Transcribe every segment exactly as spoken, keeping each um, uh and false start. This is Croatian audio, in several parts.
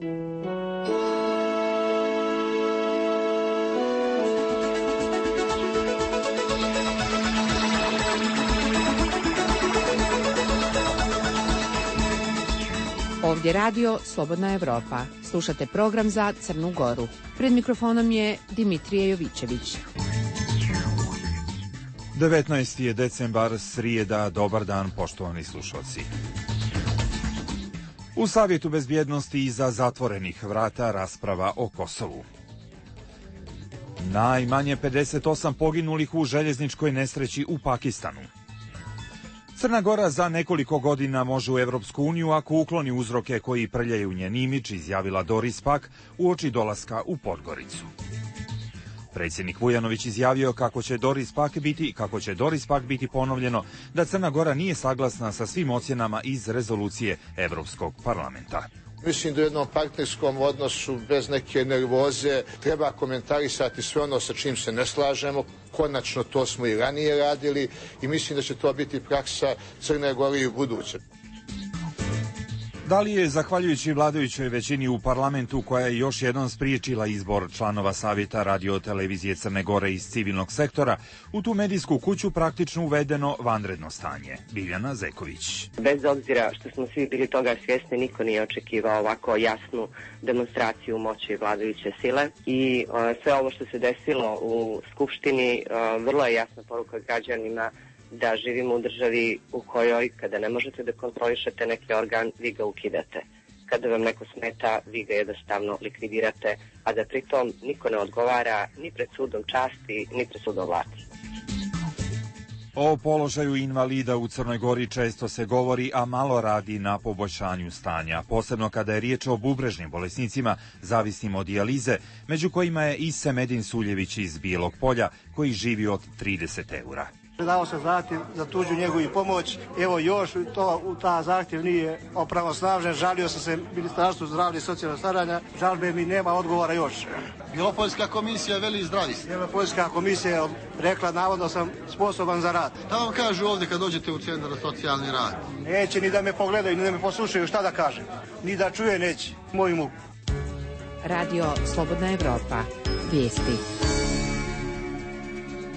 Ovdje radio Slobodna Evropa. Slušate program za Crnu Goru. Pred mikrofonom je Dimitrije Jovićević. devetnaesti je decembar, srijeda, dobar dan poštovani slušalci. U Savjetu bezbjednosti iza zatvorenih vrata rasprava o Kosovu. Najmanje pedeset osam poginulih u željezničkoj nesreći u Pakistanu. Crna Gora za nekoliko godina može u Evropsku uniju ako ukloni uzroke koji prljaju njen imidž, izjavila Doris Pack uoči dolaska u Podgoricu. Predsjednik Vujanović izjavio kako će Doris Pack biti, kako će Doris Pack biti ponovljeno da Crna Gora nije saglasna sa svim ocjenama iz rezolucije Evropskog parlamenta. Mislim da u jednom partnerskom odnosu bez neke nervoze treba komentarisati sve ono sa čim se ne slažemo. Konačno to smo i ranije radili i mislim da će to biti praksa Crne Gore i u buduće. Da li je, zahvaljujući vladajućoj većini u parlamentu koja je još jednom spriječila izbor članova Savjeta radio-televizije Crne Gore iz civilnog sektora, u tu medijsku kuću praktično uvedeno vanredno stanje? Biljana Zeković. Bez obzira što smo svi bili toga svjesni, niko nije očekivao ovako jasnu demonstraciju moći vladajuće sile i uh, sve ovo što se desilo u Skupštini uh, vrlo je jasna poruka građanima da živimo u državi u kojoj kada ne možete da kontrolišete neki organ, vi ga ukidate. Kada vam neko smeta, vi ga jednostavno likvidirate, a da pritom niko ne odgovara ni pred sudom časti, ni pred sudom vlasti. O položaju invalida u Crnoj Gori često se govori, a malo radi na poboljšanju stanja, posebno kada je riječ o bubrežnim bolesnicima zavisnim od dijalize, među kojima je i Semedin Suljević iz Bijelog Polja, koji živi od trideset eura. Dao se zahtjev za tuđu njegu i pomoć. Evo još to, u ta zahtjev nije opravosnažen. Žalio sam se Ministarstvu zdravlja i socijalnog staranja. Žalbe mi nema odgovora još. Bjelopoljska komisija veli zdravi ste. Bjelopoljska komisija je rekla navodno sam sposoban za rad. Šta vam kažu ovdje kad dođete u centar za socijalni rad? Neće ni da me pogledaju, ni da me poslušaju, šta da kažem. Ni da čuje neće moju muku. Radio Slobodna Evropa. Vijesti.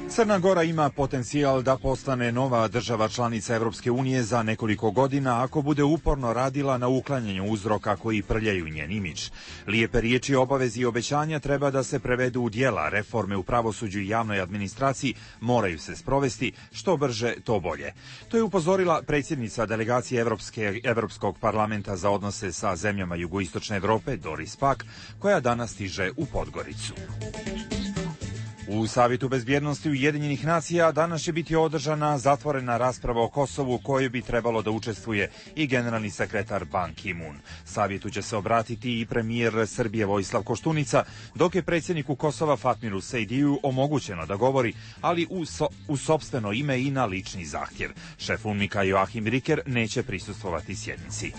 Crna Gora ima potencijal da postane nova država članica Evropske unije za nekoliko godina ako bude uporno radila na uklanjanju uzroka koji prljaju njen imidž. Lijepe riječi, obavezi i obećanja treba da se prevedu u djela. Reforme u pravosuđu i javnoj administraciji moraju se sprovesti, što brže, to bolje. To je upozorila predsjednica delegacije Evropske, Evropskog parlamenta za odnose sa zemljama jugoistočne Evrope, Doris Pack, koja danas stiže u Podgoricu. U Savjetu bezbjednosti Ujedinjenih nacija danas će biti održana zatvorena rasprava o Kosovu, kojoj bi trebalo da učestvuje i generalni sekretar Ban Ki-moon. Savjetu će se obratiti i premijer Srbije Vojislav Koštunica, dok je predsjedniku Kosova Fatmiru Sejdiju omogućeno da govori, ali u, so, u sopstveno ime i na lični zahtjev. Šef UNMIK-a Joachim Riker neće prisustvovati sjednici.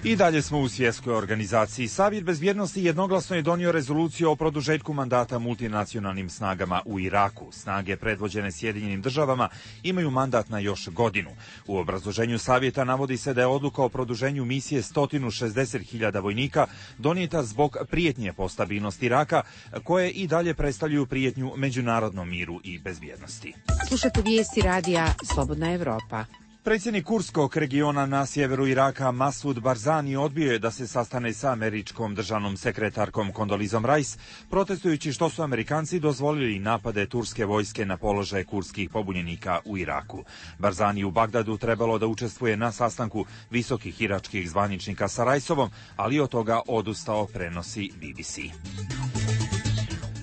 I dalje smo u svjetskoj organizaciji. Savjet bezbjednosti jednoglasno je donio rezoluciju o produžetku mandata multinacionalnim snagama u Iraku. Snage predvođene Sjedinjenim državama imaju mandat na još godinu. U obrazloženju savjeta navodi se da je odluka o produženju misije sto šezdeset hiljada vojnika donijeta zbog prijetnje po stabilnost Iraka, koje i dalje predstavljaju prijetnju međunarodnom miru i bezbjednosti. Slušate vijesti radija Slobodna Evropa. Predsjednik Kurskog regiona na sjeveru Iraka Masud Barzani odbio je da se sastane sa američkom državnom sekretarkom Kondolizom Rice, protestujući što su Amerikanci dozvolili napade turske vojske na položaje kurdskih pobunjenika u Iraku. Barzani u Bagdadu trebalo da učestvuje na sastanku visokih iračkih zvaničnika sa Riceovom, ali od toga odustao, prenosi B B C.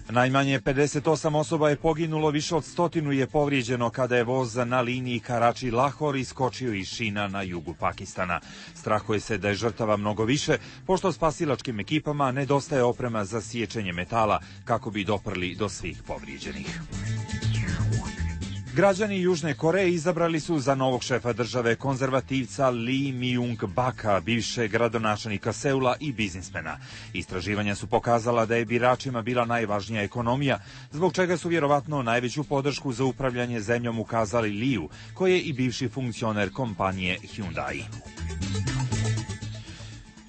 Najmanje pedeset osam osoba je poginulo, više od stotinu je povrijeđeno kada je voz na liniji Karači-Lahor iskočio iz šina na jugu Pakistana. Strahuje se da je žrtava mnogo više, pošto spasilačkim ekipama nedostaje oprema za siječenje metala kako bi doprli do svih povrijeđenih. Građani Južne Koreje izabrali su za novog šefa države konzervativca Lee Myung-baka, bivšeg gradonačelnika Seula i biznismena. Istraživanja su pokazala da je biračima bila najvažnija ekonomija, zbog čega su vjerovatno najveću podršku za upravljanje zemljom ukazali Liu, koji je i bivši funkcioner kompanije Hyundai.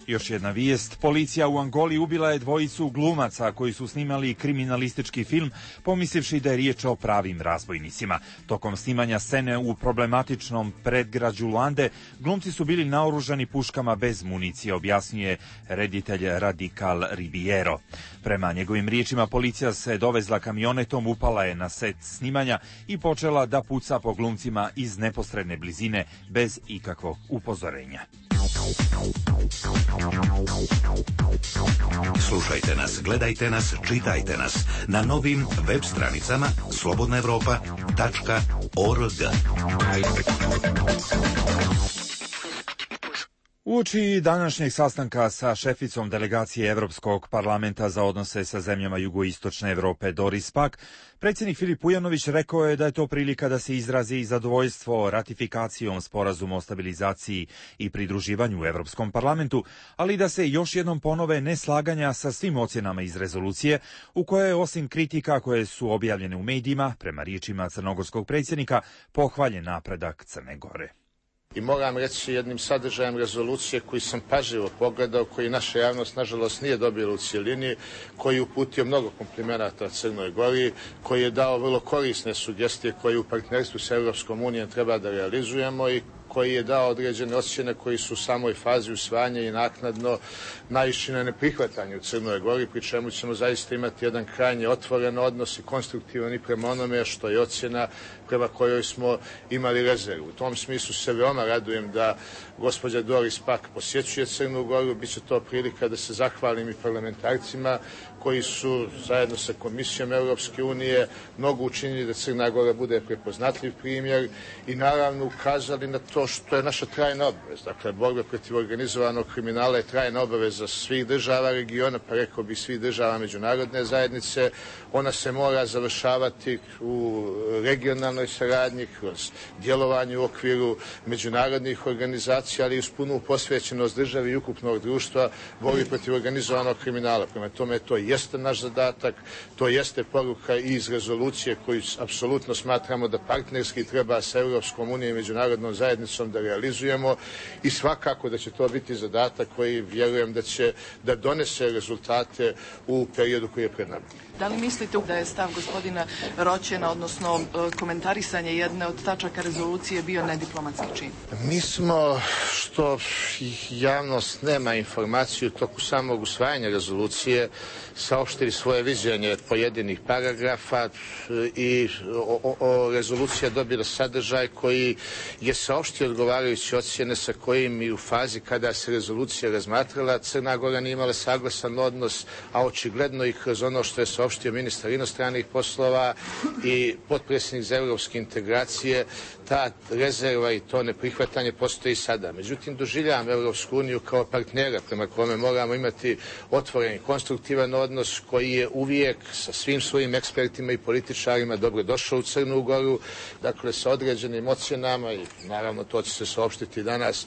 Još jedna vijest. Policija u Angoli ubila je dvojicu glumaca koji su snimali kriminalistički film, pomislivši da je riječ o pravim razbojnicima. Tokom snimanja scene u problematičnom predgrađu Luande, glumci su bili naoružani puškama bez municije, objasnjuje reditelj Radikal Ribiero. Prema njegovim riječima, policija se dovezla kamionetom, upala je na set snimanja i počela da puca po glumcima iz neposredne blizine bez ikakvog upozorenja. Slušajte nas, gledajte nas, čitajte nas na novim web stranicama slobodna evropa tačka org. Uoči današnjeg sastanka sa šeficom delegacije Evropskog parlamenta za odnose sa zemljama jugoistočne Evrope Doris Pack, predsjednik Filip Vujanović rekao je da je to prilika da se izrazi zadovoljstvo ratifikacijom sporazuma o stabilizaciji i pridruživanju u Evropskom parlamentu, ali da se još jednom ponove neslaganja sa svim ocjenama iz rezolucije, u kojoj je osim kritika koje su objavljene u medijima, prema riječima crnogorskog predsjednika, pohvaljen napredak Crne Gore. I moram reći jednim sadržajem rezolucije koji sam pažljivo pogledao, koji naša javnost nažalost nije dobila u cjelini, koji je uputio mnogo komplimenata Crnoj Gori, koji je dao vrlo korisne sugestije koje u partnerstvu s Europskom unijom treba da realizujemo i koji je dao određene ocjene koji su u samoj fazi usvajanja i naknadno naišli na neprihvatanje u Crnoj Gori, pri čemu ćemo zaista imati jedan krajnje otvoren odnos i konstruktivan i prema onome što je ocjena prema kojoj smo imali rezervu. U tom smislu se veoma radujem da gospođa Doris Pack posjećuje Crnu Goru, bit će to prilika da se zahvalim i parlamentarcima koji su zajedno sa Komisijom Europske unije mnogo učinili da Crna Gora bude prepoznatljiv primjer i naravno ukazali na to što je naša trajna obaveza. Dakle, borba protiv organizovanog kriminala je trajna obaveza svih država regiona, pa rekao bih svih država međunarodne zajednice. Ona se mora završavati u regionalnoj saradnji, kroz djelovanje u okviru međunarodnih organizacija, ali i uz punu posvećenost državi i ukupnog društva borbi protiv organizovanog kriminala. Prema tome, to jeste naš zadatak, to jeste poruka i iz rezolucije koju apsolutno smatramo da partnerski treba sa Europskom unijom i međunarodnom zajednicom da realizujemo i svakako da će to biti zadatak koji vjerujem da će da donese rezultate u periodu koji je pred nama. Da li mislite da je stav gospodina Roćena, odnosno komentarisanje jedne od tačaka rezolucije bio nediplomatski čin? Mi smo, što javnost nema informaciju, toku samog usvajanja rezolucije saopštili svoje viđenje pojedinih paragrafa i o, o, o rezolucija dobila sadržaj koji je saopštio odgovarajuće ocjene sa kojim i u fazi kada se rezolucija razmatrala Crna Gora nije imala saglasan odnos, a očigledno i kroz ono što je saopštio ministar inostranih poslova i potpredsjednik za evropske integracije, ta rezerva i to neprihvatanje postoji sada. Međutim, doživljavam Evropsku uniju kao partnera prema kome moramo imati otvoren i konstruktivan odnos koji je uvijek sa svim svojim ekspertima i političarima dobro došao u Crnu Goru, dakle sa određenim ocjenama i naravno to će se saopštiti danas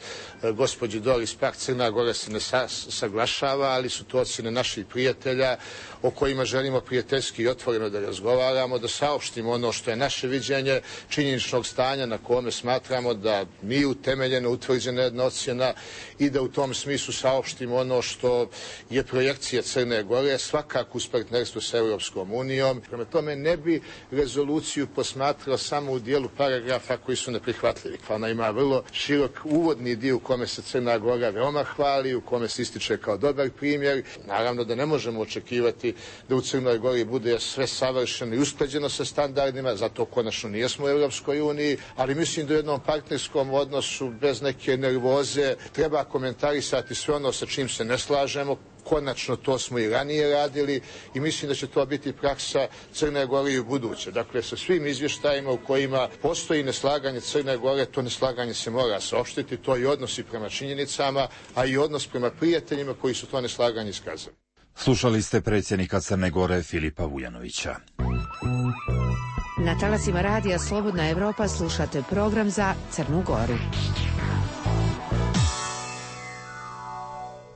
gospođi Doris Pack, Crna Gora se ne sa, saglašava, ali su to ocjene naših prijatelja o kojima želimo prijateljski i otvoreno da razgovaramo, da saopštimo ono što je naše viđenje činjeničnog stanja na kome smatramo da nije utemeljeno, utvrđena jedna ocjena i da u tom smislu saopštimo ono što je projekcija Crne Gore, svakako uz partnerstvo sa Europskom unijom. Prema tome ne bi rezoluciju posmatrao samo u dijelu paragrafa koji su neprihvatljivi. Ona ima vrlo širok uvodni dio u kome se Crna Gora veoma hvali, u kome se ističe kao dobar primjer. Naravno da ne možemo očekivati da u Crnoj Gori bude sve savršeno i usklađeno sa standardima, zato konačno nijesmo u Europskoj uniji, ali mislim da u jednom partnerskom odnosu bez neke nervoze treba komentarisati sve ono sa čim se ne slažemo. Konačno to smo i ranije radili i mislim da će to biti praksa Crne Gore i u buduće. Dakle, sa svim izvještajima u kojima postoji neslaganje Crne Gore, to neslaganje se mora saopštiti, to je odnos i prema činjenicama, a i odnos prema prijateljima koji su to neslaganje iskazali. Slušali ste predsjednika Crne Gore Filipa Vujanovića. Na talasima radija Slobodna Evropa slušate program za Crnu Goru.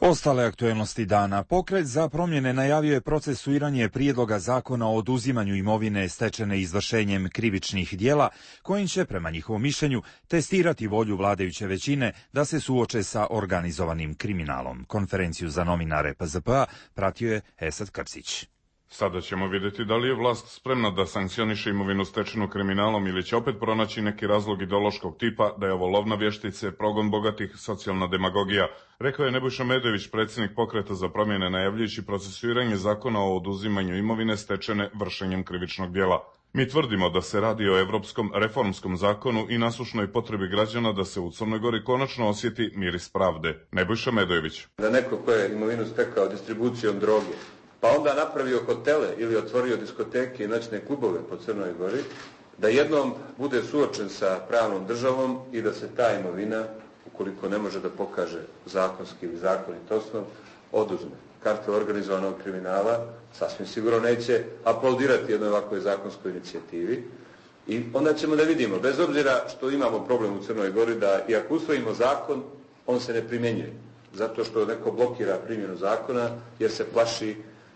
Ostale aktuelnosti dana. Pokret za promjene najavio je procesuiranje prijedloga zakona o oduzimanju imovine stečene izvršenjem krivičnih djela, kojim će, prema njihovom mišljenju, testirati volju vladajuće većine da se suoče sa organizovanim kriminalom. Konferenciju za novinare P Z P-a pratio je Esad Krcić. Sada ćemo vidjeti da li je vlast spremna da sankcioniše imovinu stečenu kriminalom ili će opet pronaći neki razlog ideološkog tipa da je ovo lov na vještice, progon bogatih, socijalna demagogija, rekao je Nebojša Medojević, predsjednik Pokreta za promjene, najavljujući procesuiranje zakona o oduzimanju imovine stečene vršenjem krivičnog djela. Mi tvrdimo da se radi o evropskom reformskom zakonu i nasušnoj potrebi građana da se u Crnoj Gori konačno osjeti miris pravde. Nebojša Medojević. Da neko ko je imovinu stekao distribucijom droge, pa onda napravio hotele ili otvorio diskoteke i noćne klubove po Crnoj Gori, da jednom bude suočen sa pravnom državom i da se ta imovina, ukoliko ne može da pokaže zakonski ili zakonit osnov, oduzme. Kartel organizovanog kriminala sasvim sigurno neće aplaudirati jednoj ovakvoj zakonskoj inicijativi i onda ćemo da vidimo, bez obzira što imamo problem u Crnoj Gori, da i ako usvojimo zakon, on se ne primjenjuje, zato što neko blokira primjenu zakona jer se plaši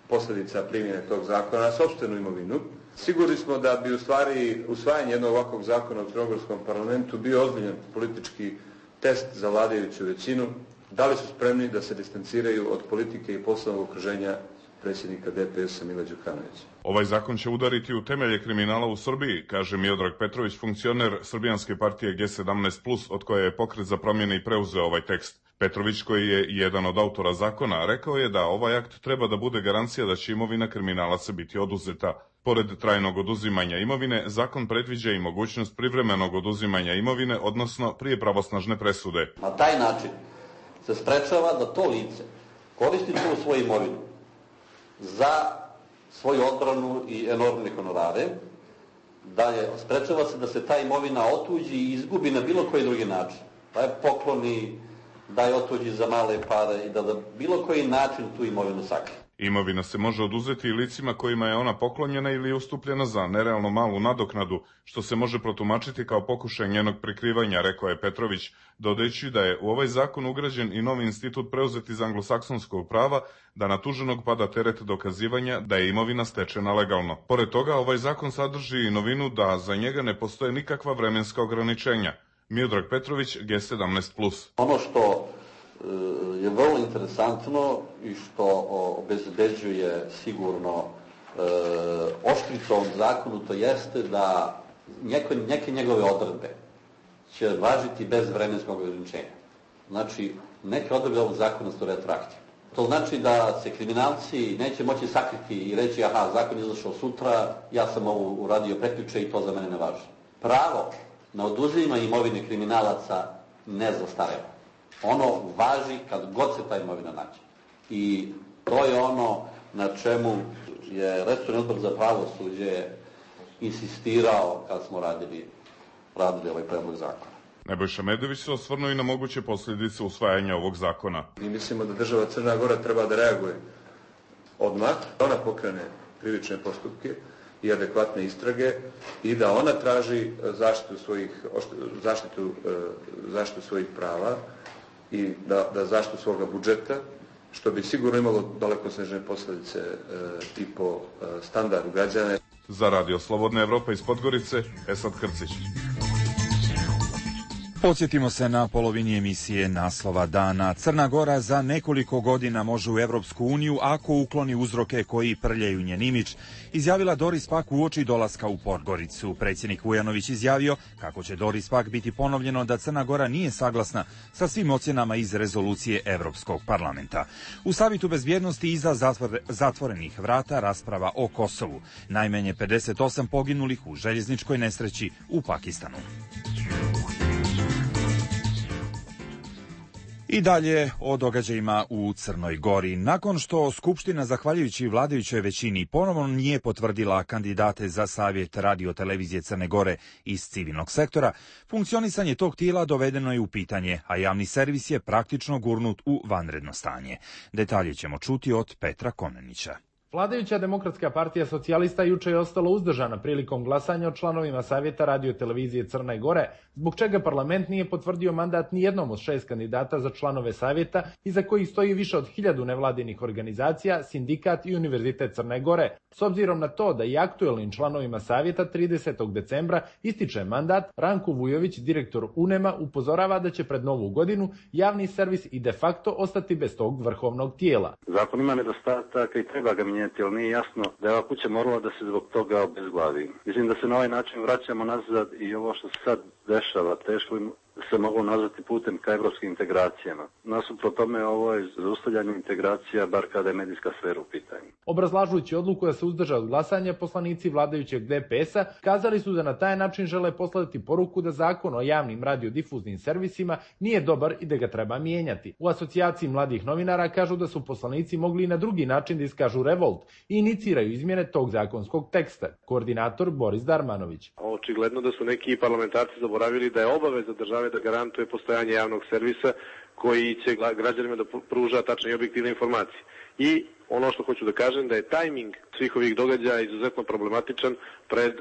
posljedica primjene tog zakona na sopstvenu imovinu. Sigurni smo da bi u stvari usvajanje jednog ovakvog zakona u crnogorskom parlamentu bio ozbiljan politički test za vladajuću većinu. Da li su spremni da se distanciraju od politike i poslovnog okruženja predsjednika D P S-a Mila Đukanovića. Ovaj zakon će udariti u temelje kriminala u Srbiji, kaže Miodrag Petrović, funkcioner Srbijanske partije G sedamnaest plus, od koje je Pokret za promjene i preuzeo ovaj tekst. Petrović, koji je jedan od autora zakona, rekao je da ovaj akt treba da bude garancija da će imovina kriminalaca biti oduzeta. Pored trajnog oduzimanja imovine, zakon predviđa i mogućnost privremenog oduzimanja imovine, odnosno prije pravosnažne presude. Na taj način se sprečava da to lice koristi tu svoju imovinu za svoju odbranu i enormne honorare, da je sprečava se da se ta imovina otuđi i izgubi na bilo koji drugi način. Da je pokloni, da je otuđi za male pare i da na bilo koji način tu imovinu sakrije. Imovina se može oduzeti i licima kojima je ona poklonjena ili ustupljena za nerealno malu nadoknadu, što se može protumačiti kao pokušaj njenog prikrivanja, rekao je Petrović, dodajući da je u ovaj zakon ugrađen i novi institut preuzet iz anglosaksonskog prava, da na tuženog pada teret dokazivanja da je imovina stečena legalno. Pored toga, ovaj zakon sadrži i novinu da za njega ne postoje nikakva vremenska ograničenja. Miodrag Petrović, G sedamnaest plus. Ono što je vrlo interesantno i što obezbeđuje sigurno e, oštricu ovom zakonu, to jeste da neke, neke njegove odredbe će važiti bez vremenskog ograničenja. Znači, neke odredbe ovog zakona su retroaktivne. To znači da se kriminalci neće moći sakriti i reći aha, zakon je izašao sutra, ja sam ovo uradio prekjuče i to za mene ne važi. Pravo na oduzimanje imovine kriminalaca ne zastareva. Ono važi kad god se ta imovina nađe. I to je ono na čemu je resorni odbor za pravosuđe insistirao kad smo radili, radili ovaj predlog zakona. Nebojša Medojević se osvrnuo i na moguće posljedice usvajanja ovog zakona. Mi mislimo da država Crna Gora treba da reaguje odmah, da ona pokrene krivične postupke i adekvatne istrage i da ona traži zaštitu svojih, zaštitu, zaštitu svojih prava i da, da zaštitu svoga budžeta, što bi sigurno imalo dalekosežne posljedice e, i po e, standardu građana. Za Radio Slobodna Evropa iz Podgorice, Esad Krcić. Podsjetimo se na polovini emisije naslova dana. Crna Gora za nekoliko godina može u Evropsku uniju ako ukloni uzroke koji prljaju njen imidž, izjavila Doris Pack uoči dolaska u Podgoricu. Predsjednik Vujanović izjavio kako će Doris Pack biti ponovljeno da Crna Gora nije saglasna sa svim ocjenama iz rezolucije Evropskog parlamenta. U Savetu bezbjednosti iza zatvor, zatvorenih vrata rasprava o Kosovu. Najmanje pedeset osam poginulih u željezničkoj nesreći u Pakistanu. I dalje o događajima u Crnoj Gori. Nakon što Skupština, zahvaljujući vladajućoj većini, ponovno nije potvrdila kandidate za Savjet radio-televizije Crne Gore iz civilnog sektora, funkcionisanje tog tijela dovedeno je u pitanje, a javni servis je praktično gurnut u vanredno stanje. Detalje ćemo čuti od Petra Konenića. Vladajuća Demokratska partija socijalista juče je ostala uzdržana prilikom glasanja o članovima Savjeta radio-televizije Crne Gore, zbog čega parlament nije potvrdio mandat ni jednom od šest kandidata za članove Savjeta, iza kojih stoji više od hiljadu nevladinih organizacija, sindikat i Univerzitet Crne Gore. S obzirom na to da i aktuelnim članovima Savjeta tridesetog decembra ističe mandat, Ranko Vujović, direktor UNEM-a, upozorava da će pred novu godinu javni servis i de facto ostati bez tog vrhovnog tijela. Zakon ima nedostataka i treba ga mijenjati, ali nije jasno da je ova kuća morala da se zbog toga obezglavi. Mislim da se na ovaj način vraćamo nazad i ovo što se sad dešava, teško se moglo nazvati putem ka evropskim integracijama. Nasuprot tome ovo je zaustavljanje integracija, bar kada je medijska sfera u pitanju. Obrazlažujući odluku da se uzdrže od glasanja, poslanici vladajućeg D P S-a kazali su da na taj način žele poslati poruku da zakon o javnim radiodifuznim servisima nije dobar i da ga treba mijenjati. U asocijaciji mladih novinara kažu da su poslanici mogli i na drugi način da iskažu revolt i iniciraju izmjene tog zakonskog teksta. Koordinator Boris Darmanović. Očigledno da su neki parlamentarci zaboravili da je obaveza države da garantuje postojanje javnog servisa koji će građanima da pruža tačne i objektivne informacije. I ono što hoću da kažem da je tajming svih ovih događaja izuzetno problematičan pred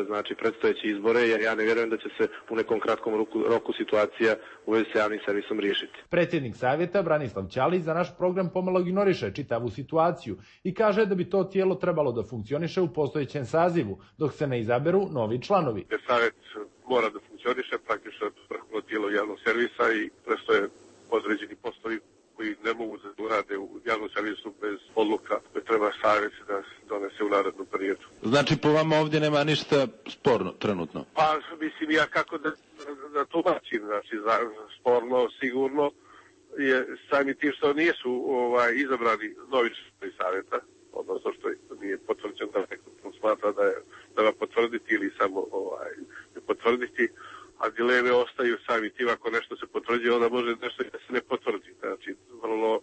znači predstojeće izbore, jer ja ne vjerujem da će se u nekom kratkom roku, roku situacija u vezi sa javnim servisom riješiti. Predsjednik Savjeta Branislav Ćalić za naš program pomalo ignoriše čitavu situaciju i kaže da bi to tijelo trebalo da funkcioniše u postojećem sazivu dok se ne izaberu novi članovi. Savjet mora da funkcioniše, praktično vrhovno tijelo javnog servisa i prestoje određeni poslovi koji ne mogu da urade u javnom servisu bez odluka koje treba savjet da donese u narednom periodu. Znači po vama ovdje nema ništa sporno trenutno? Pa mislim ja kako da, da tumačim, znači za, sporno sigurno je sami tim što nisu ovaj, izabrani novi članovi savjeta, odnosno što nije potvrđeno da neko smatra da, je, da ga potvrditi ili samo ovaj, ne potvrditi, a dileme ostaju sami tim, ako nešto se potvrđuje, onda može nešto da se ne potvrdi. Znači, vrlo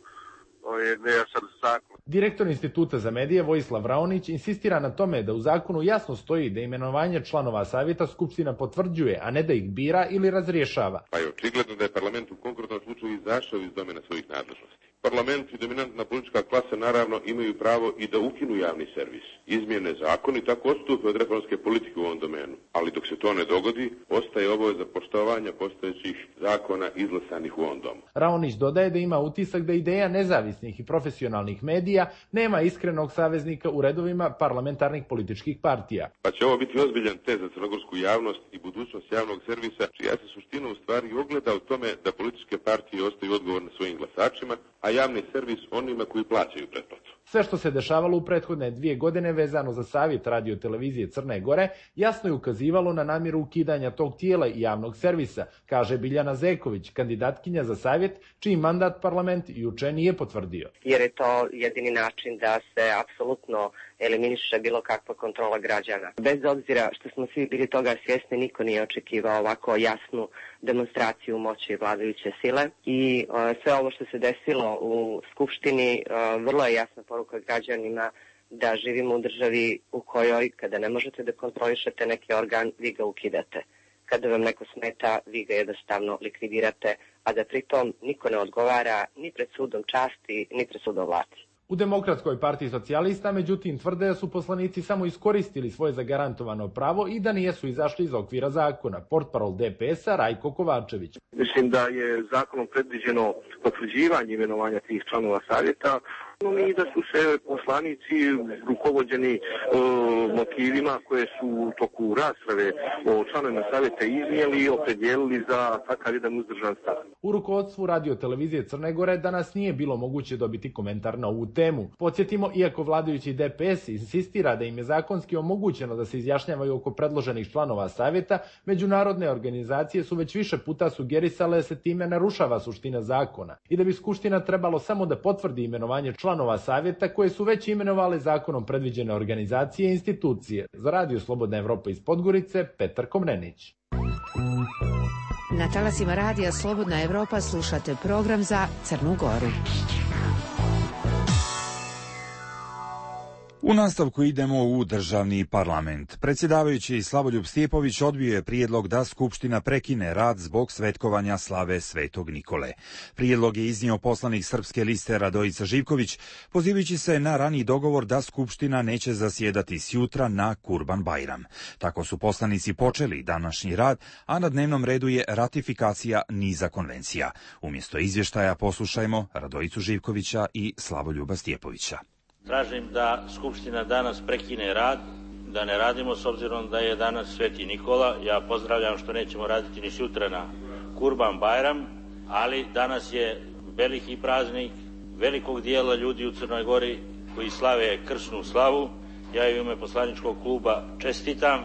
je nejasan zakon. Direktor Instituta za medije Vojislav Raonić insistira na tome da u zakonu jasno stoji da imenovanje članova savjeta Skupština potvrđuje, a ne da ih bira ili razrješava. Pa je očigledno da je parlament u konkretnom slučaju izašao iz domena svojih nadležnosti. Parlament i dominantna politička klasa naravno imaju pravo i da ukinu javni servis, izmjene zakon i tako odstupe od reformske politike u ovom domenu. Ali dok se to ne dogodi, ostaje obaveza poštovanja postojećih zakona izglasanih u ovom domu. Raonić dodaje da ima utisak da ideja nezavisnih i profesionalnih medija nema iskrenog saveznika u redovima parlamentarnih političkih partija. Pa će ovo biti ozbiljan test za crnogorsku javnost i budućnost javnog servisa, čija se suština u stvari ogleda u tome da političke partije ostaju odgovorne svojim glasačima, a javni servis onima koji plaćaju pretplatu. Sve što se dešavalo u prethodne dvije godine vezano za Savjet radio-televizije Crne Gore jasno je ukazivalo na namjeru ukidanja tog tijela i javnog servisa, kaže Biljana Zeković, kandidatkinja za Savjet, čiji mandat parlament juče nije potvrdio. Jer je to jedini način da se apsolutno eliminiše bilo kakva kontrola građana. Bez obzira što smo svi bili toga svjesni, niko nije očekivao ovako jasnu demonstraciju moći vladajuće sile i uh, sve ovo što se desilo u Skupštini uh, vrlo je jasna poruka građanima da živimo u državi u kojoj kada ne možete da kontrolišete neki organ, vi ga ukidate. Kada vam neko smeta, vi ga jednostavno likvidirate, a da pritom niko ne odgovara ni pred sudom časti, ni pred sudom vlasti. U Demokratskoj partiji socijalista, međutim, tvrde da su poslanici samo iskoristili svoje zagarantovano pravo i da nijesu izašli iz okvira zakona. Portparol D P S-a Rajko Kovačević. Mislim da je zakonom predviđeno potvrđivanje imenovanja tih članova savjeta, no i da su se poslanici rukovođeni uh, motivima koje su u toku rasprave o članovima savjeta iznijeli i opredijelili za takav jedan uzdržan stav. U rukovodstvu radio-televizije Crne Gore danas nije bilo moguće dobiti komentar na ovu temu. Podsjetimo, iako vladajući D P S insistira da im je zakonski omogućeno da se izjašnjavaju oko predloženih članova savjeta, međunarodne organizacije su već više puta sugerisale da se time narušava suština zakona i da bi Skupština trebalo samo da potvrdi imenovanje članova savjeta koje su već imenovale zakonom predviđene organizacije i institucije. Za Radio Slobodna Evropa iz Podgorice, Petar Komnenić. Na talasima Radija Slobodna Evropa slušate program za Crnu Goru. U nastavku idemo u državni parlament. Predsjedavajući Slavoljub Stjepović odbio je prijedlog da Skupština prekine rad zbog svetkovanja slave Svetog Nikole. Prijedlog je iznio poslanik Srpske liste Radojica Živković, pozivajući se na raniji dogovor da Skupština neće zasjedati sjutra na Kurban-Bajram. Tako su poslanici počeli današnji rad, a na dnevnom redu je ratifikacija niza konvencija. Umjesto izvještaja poslušajmo Radojicu Živkovića i Slavoljuba Stjepovića. Tražim da Skupština danas prekine rad, da ne radimo s obzirom da je danas Sveti Nikola. Ja pozdravljam što nećemo raditi ni sutra na Kurban-Bajram, ali danas je veliki praznik velikog dijela ljudi u Crnoj Gori koji slave krsnu slavu. Ja u ime poslaničkog kluba čestitam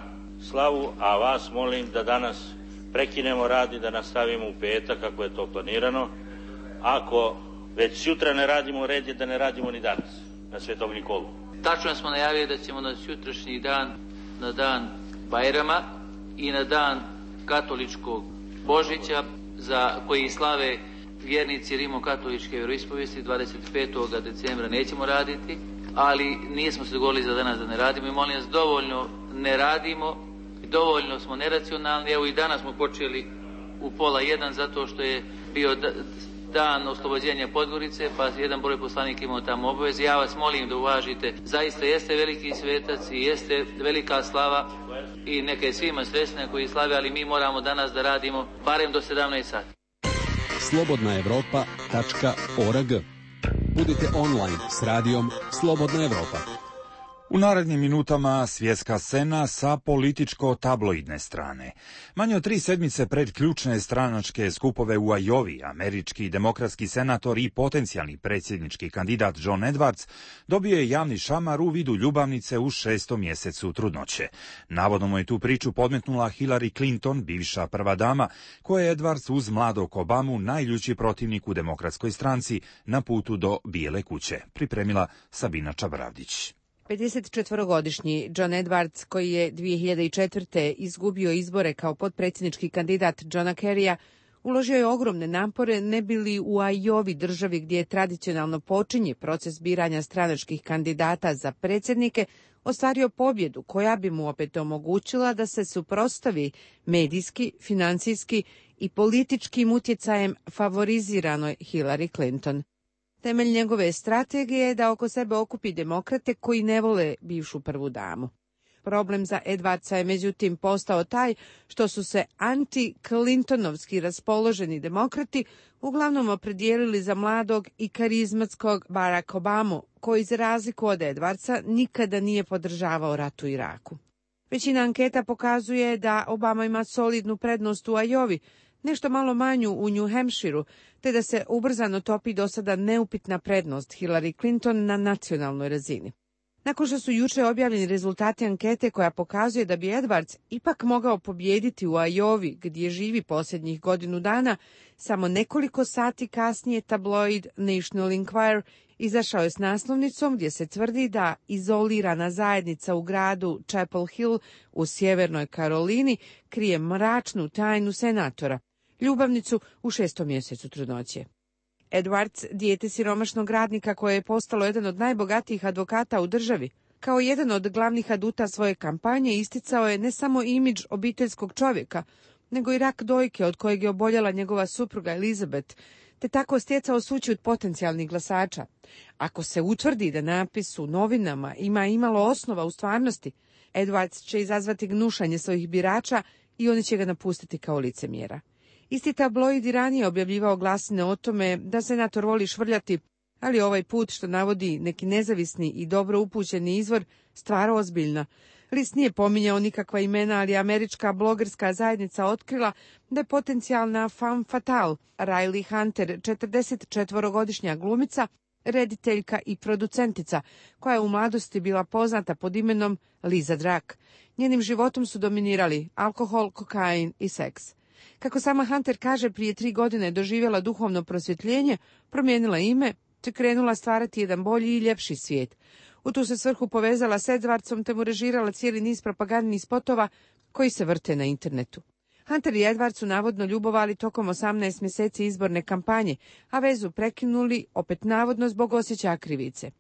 slavu, a vas molim da danas prekinemo rad i da nastavimo u petak kako je to planirano. Ako već sutra ne radimo, red je da ne radimo ni danas na Svetog Nikolu. Tačno smo najavili da ćemo na sutrašnji dan, na dan Bajrama i na dan katoličkog Božića, za koji slave vjernici rimokatoličke vjeroispovijesti, dvadeset petog decembra nećemo raditi, ali nismo se dogovorili za danas da ne radimo i molim vas, dovoljno ne radimo, dovoljno smo neracionalni. Evo i danas smo počeli u pola jedan zato što je bio dan oslobođenja Podgorice, pa jedan broj poslanika imao tamo obaveze. Ja vas molim da uvažite, zaista jeste veliki svetac i jeste velika slava i neka je svima srećna koji slave, ali mi moramo danas da radimo barem do sedamnaest sati. slobodna evropa tačka org. Budite online s radijom Slobodna Evropa. U narednim minutama svjetska scena sa političko-tabloidne strane. Manje od tri sedmice pred ključne stranačke skupove u Ajovi, američki demokratski senator i potencijalni predsjednički kandidat John Edwards dobio je javni šamar u vidu ljubavnice u šestom mjesecu trudnoće. Navodno mu je tu priču podmetnula Hillary Clinton, bivša prva dama, koja je Edwards uz mladog Obamu najljući protivnik u demokratskoj stranci na putu do Bijele kuće. Pripremila Sabina Čabravdić. pedesetčetvorogodišnji John Edwards, koji je dvije hiljade četvrte. izgubio izbore kao potpredsjednički kandidat Johna Kerrya, uložio je ogromne napore ne bi li u Ajovi, državi gdje tradicionalno počinje proces biranja stranačkih kandidata za predsjednike, ostvario pobjedu koja bi mu opet omogućila da se suprotstavi medijski, financijski i političkim utjecajem favoriziranoj Hillary Clinton. Temelj njegove strategije je da oko sebe okupi demokrate koji ne vole bivšu prvu damu. Problem za Edwardsa je međutim postao taj što su se anti-Clintonovski raspoloženi demokrati uglavnom opredijelili za mladog i karizmatskog Barack Obamu, koji za razliku od Edwardsa nikada nije podržavao rat u Iraku. Većina anketa pokazuje da Obama ima solidnu prednost u Ajovi, nešto malo manju u New Hampshireu, te da se ubrzano topi do sada neupitna prednost Hillary Clinton na nacionalnoj razini. Nakon što su juče objavljeni rezultati ankete koja pokazuje da bi Edwards ipak mogao pobijediti u Ajovi, gdje živi posljednjih godinu dana, samo nekoliko sati kasnije tabloid National Enquirer izašao je s naslovnicom gdje se tvrdi da izolirana zajednica u gradu Chapel Hill u sjevernoj Karolini krije mračnu tajnu senatora, ljubavnicu u šestom mjesecu trudnoće. Edwards, dijete siromašnog radnika koje je postalo jedan od najbogatijih advokata u državi, kao jedan od glavnih aduta svoje kampanje isticao je ne samo imidž obiteljskog čovjeka, nego i rak dojke od kojeg je oboljela njegova supruga Elizabeth, te tako stjecao sućut potencijalnih glasača. Ako se utvrdi da napis u novinama ima imalo osnova u stvarnosti, Edwards će izazvati gnušanje svojih birača i oni će ga napustiti kao licemjera. Isti tabloid i ranije objavljivao glasine o tome da senator voli švrljati, ali ovaj put, što navodi neki nezavisni i dobro upućeni izvor, stvar ozbiljna. List nije pominjao nikakva imena, ali američka blogerska zajednica otkrila da je potencijalna femme fatale Riley Hunter, četrdesetčetvorogodišnja glumica, rediteljka i producentica, koja je u mladosti bila poznata pod imenom Liza Drak. Njenim životom su dominirali alkohol, kokain i seks. Kako sama Hunter kaže, prije tri godine je doživjela duhovno prosvjetljenje, promijenila ime, te krenula stvarati jedan bolji i ljepši svijet. U tu se svrhu povezala s Edwardsom te mu režirala cijeli niz propagandnih spotova koji se vrte na internetu. Hunter i Edward su navodno ljubovali tokom osamnaest mjeseci izborne kampanje, a vezu prekinuli opet navodno zbog osjećaja krivice.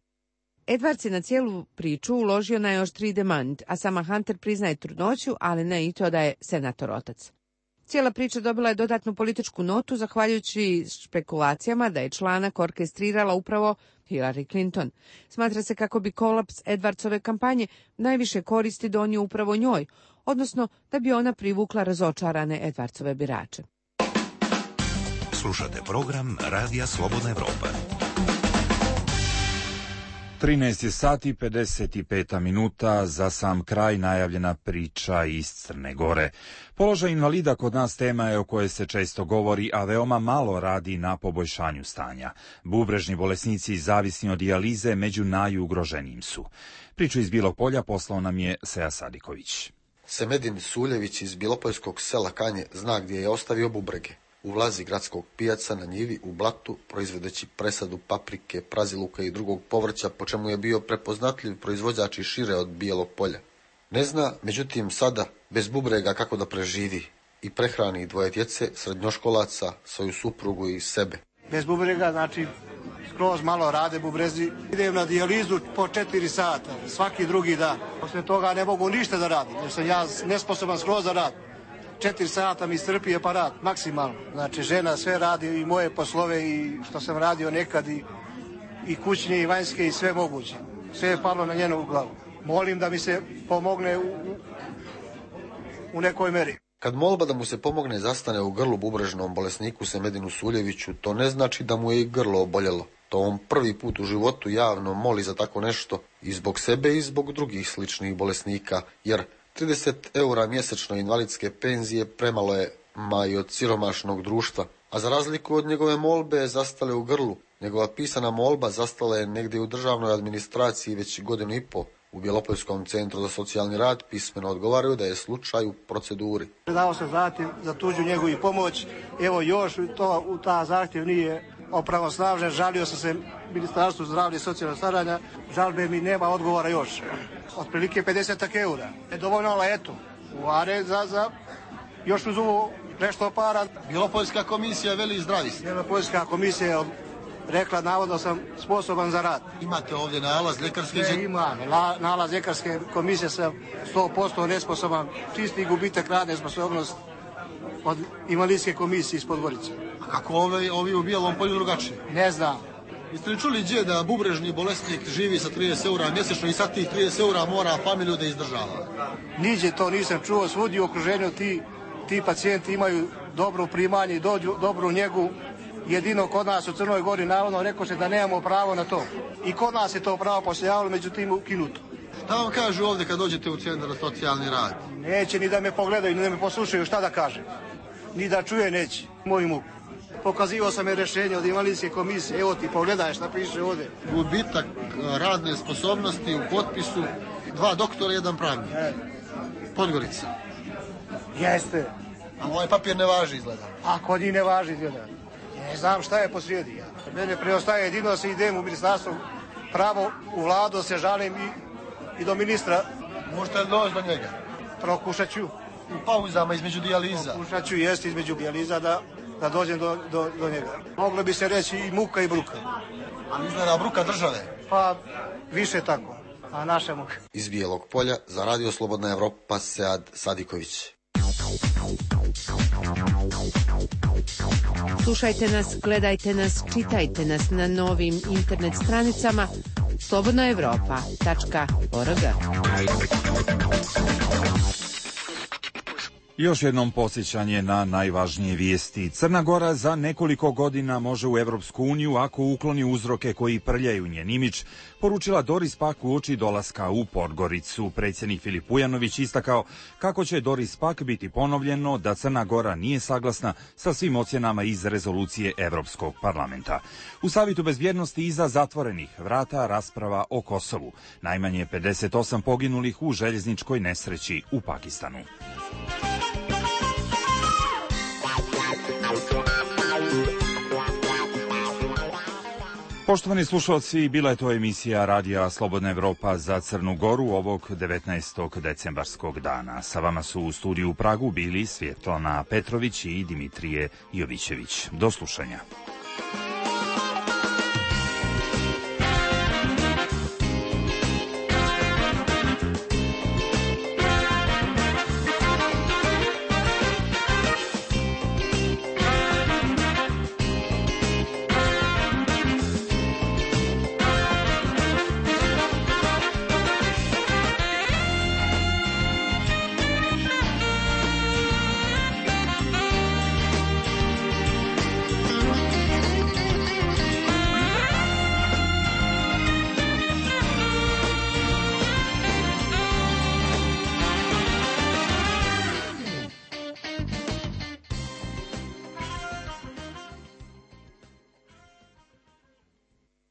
Edwards je na cijelu priču uložio najoštriji demant, a sama Hunter priznaje trudnoću, ali ne i to da je senator otac. Cijela priča dobila je dodatnu političku notu zahvaljujući špekulacijama da je članak orkestrirala upravo Hillary Clinton. Smatra se kako bi kolaps Edwardsove kampanje najviše koristi donio upravo njoj, odnosno da bi ona privukla razočarane Edwardsove birače. Slušate program Radija Slobodna Evropa. trinaest sati pedeset pet minuta, za sam kraj najavljena priča iz Crne Gore. Položaj invalida kod nas tema je o kojoj se često govori, a veoma malo radi na poboljšanju stanja. Bubrežni bolesnici zavisni od dijalize među najugroženijim su. Priču iz Bilog Polja poslao nam je Seja Sadiković. Semedin Suljević iz Bilopoljskog sela Kanje zna gdje je ostavio bubrege. U vlazi gradskog pijaca na njivi u blatu, proizvodeći presadu paprike, praziluka i drugog povrća, po čemu je bio prepoznatljiv proizvođač i šire od Bijelog Polja. Ne zna, međutim, sada, bez bubrega kako da preživi i prehrani dvoje djece, srednjoškolaca, svoju suprugu i sebe. Bez bubrega, znači, skroz malo rade bubrezi. Idem na dijalizu po četiri sata, svaki drugi dan. Poslije toga ne mogu ništa da radim, jer sam ja nesposoban skroz da radim. Četiri sata mi strpi aparat, maksimalno. Znači, žena sve radi i moje poslove i što sam radio nekad i, i kućne i vanjske i sve moguće. Sve je palo na njenu glavu. Molim da mi se pomogne u, u, u nekoj meri. Kad molba da mu se pomogne zastane u grlu bubrežnom bolesniku Semedinu Suljeviću, to ne znači da mu je i grlo oboljelo. To on prvi put u životu javno moli za tako nešto i zbog sebe i zbog drugih sličnih bolesnika, jer trideset eura mjesečno invalidske penzije premalo je ma i od siromašnog društva, a za razliku od njegove molbe zastale u grlu, njegova pisana molba zastala je negdje u državnoj administraciji već godinu i po. U Bjelopoljskom centru za socijalni rad pismeno odgovaraju da je slučaj u proceduri. Dao sam zahtjev za tuđu njegu i pomoć, evo još to u ta zahtjev nije opravosnažen, žalio sam se Ministarstvu zdravlja i socijalnog staranja, žalbe mi nema odgovora još. Otprilike pedeset eura. Je dovoljno, ali eto, uvare za, za još uz ovo nešto para. Bjelopoljska komisija veli zdravi ste. Bjelopoljska komisija je rekla navodno sam sposoban za rad. Imate ovdje nalaz ljekarske? Ne, imam. La, nalaz ljekarske komisije sam sto posto nesposoban. Čisti gubitak radne sposobnost od invalidske komisije iz Podgorice. A kako ovi, ovi u Bijelom Polju drugačije? Ne znam. Jeste li čuli gdje da bubrežni bolesnik živi sa trideset eura mjesečno i sad tih trideset eura mora familiju da izdržava? Niđe to nisam čuo, svudi u okruženju ti, ti pacijenti imaju dobro primanje i dođu, dobru njegu. Jedino kod nas u Crnoj Gori navodno rekao se da nemamo pravo na to. I kod nas je to pravo postojalo, međutim ukinuto. Šta vam kažu ovdje kad dođete u centar za socijalni rad? Neće ni da me pogledaju, ni da me poslušaju, šta da kaže. Ni da čuje neće, moju muku. Pokazivao sam je rješenje od invalidske komisije, evo ti pogledaj šta piše ovdje. Gubitak radne sposobnosti u potpisu, dva doktora, jedan pravnik. E. Podgorica. Jeste. A ovaj papir ne važi izgleda. A kod njih ne važi izgleda. Ne znam šta je posrijedi. Ja. Mene preostaje jedino se idem u ministarstvo pravo, u vladu se žalim i, i do ministra. Možete li doći do njega? Prokušat ću. U pauzama između dijaliza? Prokušat ću, jest između dijaliza da... da dođem do, do, do njega. Moglo bi se reći i muka i bruka. Ali izgleda bruka države? Pa više tako, a naša muka. Iz Bijelog Polja za Radio Slobodna Evropa Sead Sadiković. Slušajte nas, gledajte nas, čitajte nas na novim internet stranicama slobodna evropa tačka org. Još jednom podsjećanje na najvažnije vijesti. Crna Gora za nekoliko godina može u Evropsku uniju ako ukloni uzroke koji prljaju njen imidž, poručila Doris Pack uoči dolaska u Podgoricu. Predsjednik Filip Ujanović istakao kako će Doris Pack biti ponovljeno da Crna Gora nije saglasna sa svim ocjenama iz rezolucije Evropskog parlamenta. U Savjetu bezbjednosti iza zatvorenih vrata rasprava o Kosovu. Najmanje pedeset osam poginulih u željezničkoj nesreći u Pakistanu. Poštovani slušalci, bila je to emisija Radija Slobodna Evropa za Crnu Goru ovog devetnaestog decembarskog dana. Sa vama su u studiju u Pragu bili Svjetlana Petrović i Dimitrije Jovićević. Do slušanja.